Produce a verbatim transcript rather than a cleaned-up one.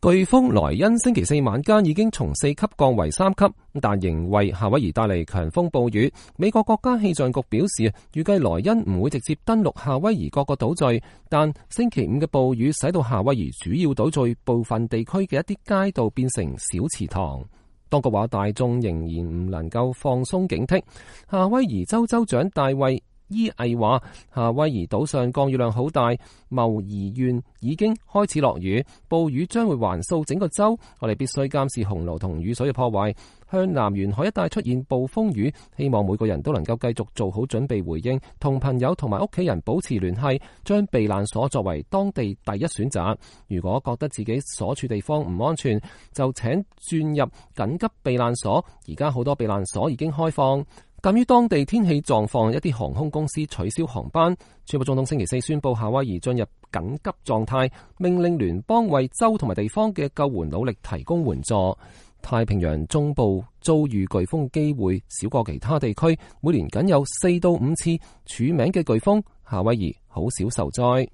颶風萊恩星期四晚間已經從四級降為三級，但仍為夏威夷帶嚟強風暴雨。美國國家氣象局表示，預計萊恩唔會直接登陸夏威夷各個島嶼，但星期五嘅暴雨使到夏威夷主要島嶼部分地區嘅一啲街道變成小池塘。當局話大眾仍然唔能夠放鬆警惕。夏威夷州州長大衛伊毅話，夏威夷島上降雨量好大，茂宜縣已經開始落雨，暴雨將會橫掃整個州，我哋必須監視洪澇同雨水嘅破壞。向南沿海一帶出現暴風雨，希望每個人都能夠繼續做好準備回應，同朋友同埋屋企人保持聯繫，將避難所作為當地第一選擇。如果覺得自己所處地方唔安全，就請轉入緊急避難所，而家好多避難所已經開放。鑒於當地天氣狀況，一啲航空公司取消航班。川普總統星期四宣布夏威夷進入緊急狀態，命令聯邦為州同埋地方嘅救援努力提供援助。太平洋中部遭遇颶風機會少過其他地區，每年僅有四到五次署名嘅颶風，夏威夷好少受災。